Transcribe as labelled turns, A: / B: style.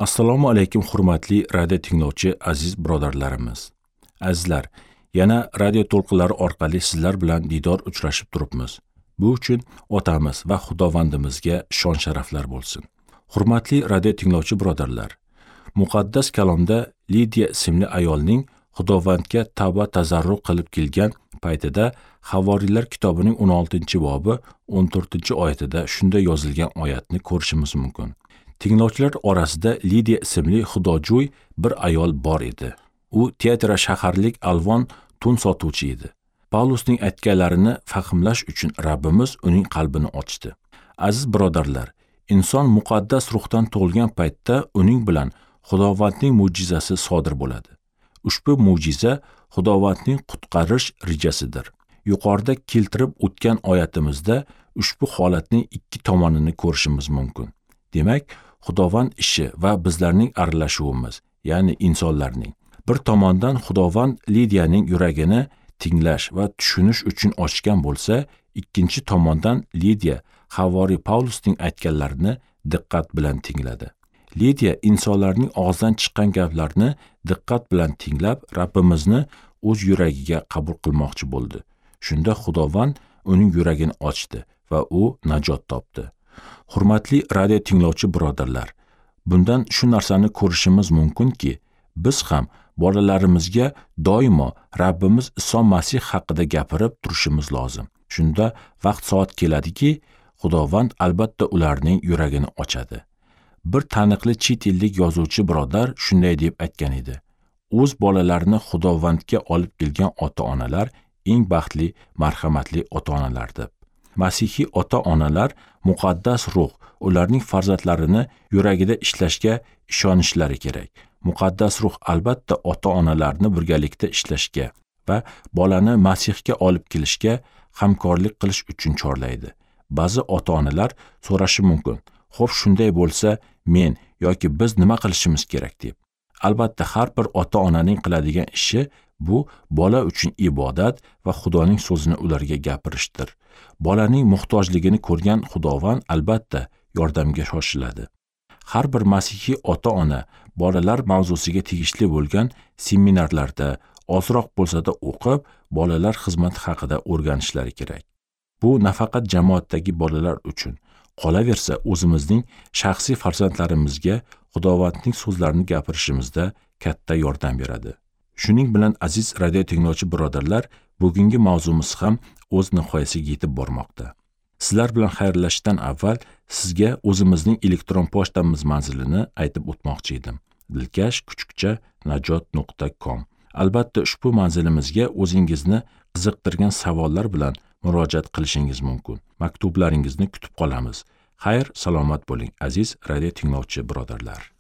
A: Assalomu alaykum hurmatli radio tinglovchi aziz birodarlarimiz. Azizlar, yana radio to'lqinlari orqali sizlar bilan diydor uchrashib turibmiz. Bu uchun otamiz va Xudovandimizga shon sharaflar bo'lsin. Hurmatli radio tinglovchi birodarlar, muqaddas kalomda Lidiya ismli ayolning Xudovandga tavba tazarru qilib kelgan paytida Havoriylar kitobining 16-bobi 14-oyatida shunday yozilgan oyatni ko'rishimiz mumkin. Tinglovchilar orasida Lidiya ismli xudojo'y bir ayol bor edi. U Tiatira shaharlik alvon tun sotuvchi edi. Pavlusning aytganlarini fahmlash uchun Rabbimiz uning qalbini ochdi. Aziz birodarlar, inson muqaddas ruhdan tug'ilgan paytda uning bilan Xudovandning mo'jizasi sodir bo'ladi. Ushbu mo'jiza Xudovandning qutqarish rejasidir. Yuqorida keltirib o'tgan oyatimizda ushbu holatning ikki tomonini ko'rishimiz mumkin. Demak, Xudovand ishi va bizlarning aralashuvimiz, ya'ni insonlarning. Bir tomondan Xudovand Lidiyaning yuragini tinglash va tushunish uchun ochgan bo'lsa, ikkinchi tomondan Lidiya Havoriy Pavlusning aytganlarini diqqat bilan tingladi. Lidiya insonlarning og'zidan chiqqan gaplarni diqqat bilan tinglab, Rabbimizni o'z yuragiga qabul qilmoqchi bo'ldi. Shunda Xudovand uning yuragini ochdi va u najot topdi. Hurmatli radio tinglovchi birodarlar, bundan shu narsani ko'rishimiz mumkinki, biz ham bolalarimizga doimo Rabbimiz Iso Masih haqida gapirib turishimiz lozim. Shunda vaqt soat keladiki, Xudovand albatta ularning yuragini ochadi. Bir taniqli chet ellik yozuvchi birodar shunday deb aytgan edi: o'z bolalarini Xudovandga olib kelgan ota-onalar eng baxtli, marhamatli ota-onalar deb. Masihiy ota-onalar muqaddas ruh ularning farzandlarini yuragida ishlashga ishonishlari kerak. Muqaddas ruh albatta ota-onalarni birgalikda ishlashga va bolani Masihga olib kelishga hamkorlik qilish uchun chorlaydi. Ba'zi ota-onalar so'rashi mumkin: "Xo'p, shunday bo'lsa, men yoki biz nima qilishimiz kerak?" deb. Albatta, har bir ota-onaning qiladigan ishi bu bola uchun ibodat va Xudoning so'zini ularga gapirishdir. Bolaning muhtojligini ko'rgan Xudovand albatta yordamga shoshiladi. Har bir masihiy ota-ona bolalar mavzusiga tegishli bo'lgan seminarlarda ozroq bo'lsa-da o'qib, bolalar xizmati haqida o'rganishlari kerak. Bu nafaqat jamoatdagi bolalar uchun, qolaversa o'zimizning shaxsiy farzandlarimizga Xudovandning so'zlarini gapirishimizda katta yordam beradi. Shuning bilan aziz radio tinglovchi birodarlar, bugungi mavzumiz ham o'z nihoyasiga yetib bormoqda. Sizlar bilan xayrlashishdan avval sizga o'zimizning elektron pochtamiz manzilini aytib o'tmoqchi edim. dilkash@najot.com. Albatta ushbu manzilimizga o'zingizni qiziqtirgan savollar bilan murojaat qilishingiz mumkin. Maktublaringizni kutib qolamiz. Xayr, salomat bo'ling aziz radio tinglovchi birodarlar.